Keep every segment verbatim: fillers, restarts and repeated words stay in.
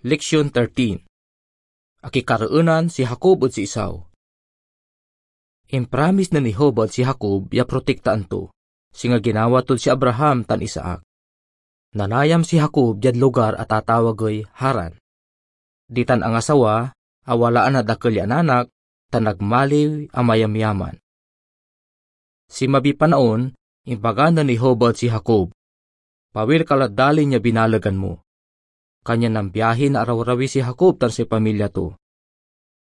Leksyon thirteen. Akikareenan si Jacob ed si Esau. Impramis nen Jehovah ed si Jacob ya protektaan to, singa ginawa tod si Abraham tan Isaac. Nanayam si Jacob diad lugar a tatawagey Haran. Ditan angasawa, awalaan na dakel ya anak, tan nagmaliw a mayamyaman. Sinmabiy panaon, imbaga nen Jehovah ed si Jacob, "Pawil ka lad dalin ya binalegan mo." Kanyan nambiahi na arawrawi si Jacob tan say pamilya to.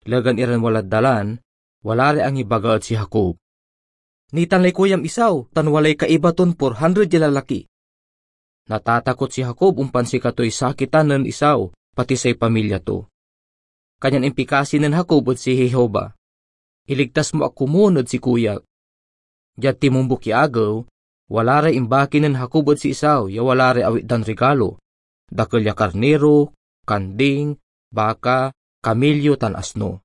Legan iran walad dalan, wala ray angibaga ed si Jacob. Nitan lay kuyam Esau tan walay kaiba ton four hundred ya lalaki. Natatakot si Jacob ompan sikatoy sakitan nen Esau, pati say pamilya to. Kanyan impikasi nen Jacob ed si Jehovah, "Iligtas mo ak komun ed sikoyak." Diad timumbok ya agew, wala ray imbaki nen Jacob ed si Esau ya wala ray awit dan rigalo, dakel ya karniro, kanding, baka, kamilyo, tan asno.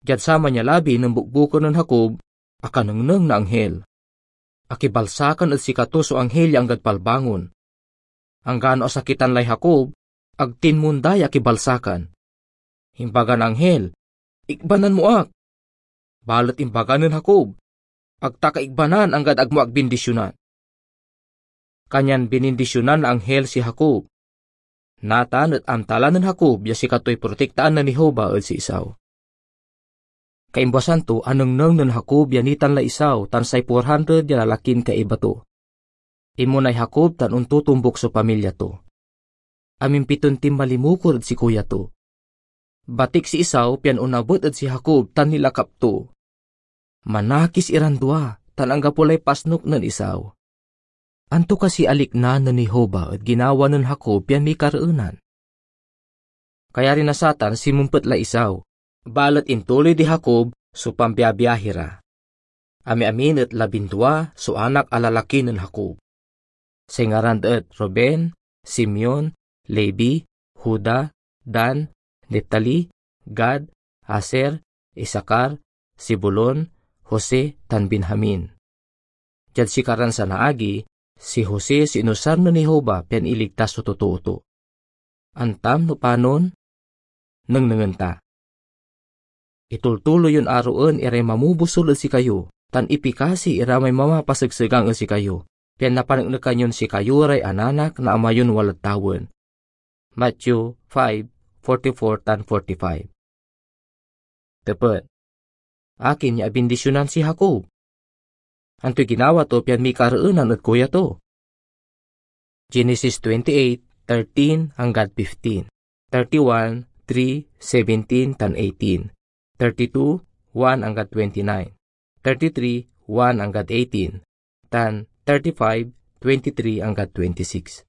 Diad saman ya labi nen bukbuken nen Jacob, akanengneng na anghel. Akibalsakan ed sikato so anghel ya anggad palbangon. Anggano asakitan lay Jacob, ag tinmonda ya akibalsakan. Imbagan anghel, "Ikbanan mo ak." Balet imbaga nen Jacob, "Ag ta ka ikbanan anggad ag mo ak bindisionan." Kanyan binindisionan na anghel si Jacob. Natan et amta la nen Jacob ya sikatoy protektaan nen Jehovah ed si Esau. Kaimbasan to, anengneng nen Jacob ya nitan lay Esau tan say four hundred ya lalakin kaiba to. Inmonay Jacob tan ontotombok so pamilya to. Amimpiton tinmalimukor ed sikoya to. Batik si Esau pian onabet ed si Jacob tan nilakap to. Manakis iran dua, tan anggapo lay pasnok nen Esau. Anto kasi alikna nen Jehovah ed ginawa nen Jacob pian mikareenan? Kayari na satan, sinmempet lay Esau, balet intuloy di Jacob so pambiabiahi ra. Amiamin et labindua so anak a lalaki nen Jacob. Say ngaran da et Ruben, Simeon, Levi, Juda, Dan, Neftali, Gad, Aser, Isakar, Zebulon, Jose, tan Benjamin. Diad sikaran sanaagi, si Jose so inusar nen Jehovah pian iligtas so totoo to. Antam no panon? Nengnengen ta. Itultuloy yon aroen iray mamobusol ed sikayo, tan ipikasi ira may mamapasegsegang ed sikayo, pian napaneknekan yon sikayo ray ananak na Ama yon walad tawen. Matthew five forty-four tan forty-five. Tepet, akin ya abindisionan si Jacob? Antoy ginawa to pian mikareenan ed kuya to? Genesis twenty-eight thirteen anggad fifteen, thirty-one three seventeen tan eighteen, thirty-two one anggad twenty-nine, thirty-three one anggad eighteen, tan thirty-five twenty-three anggad twenty-six.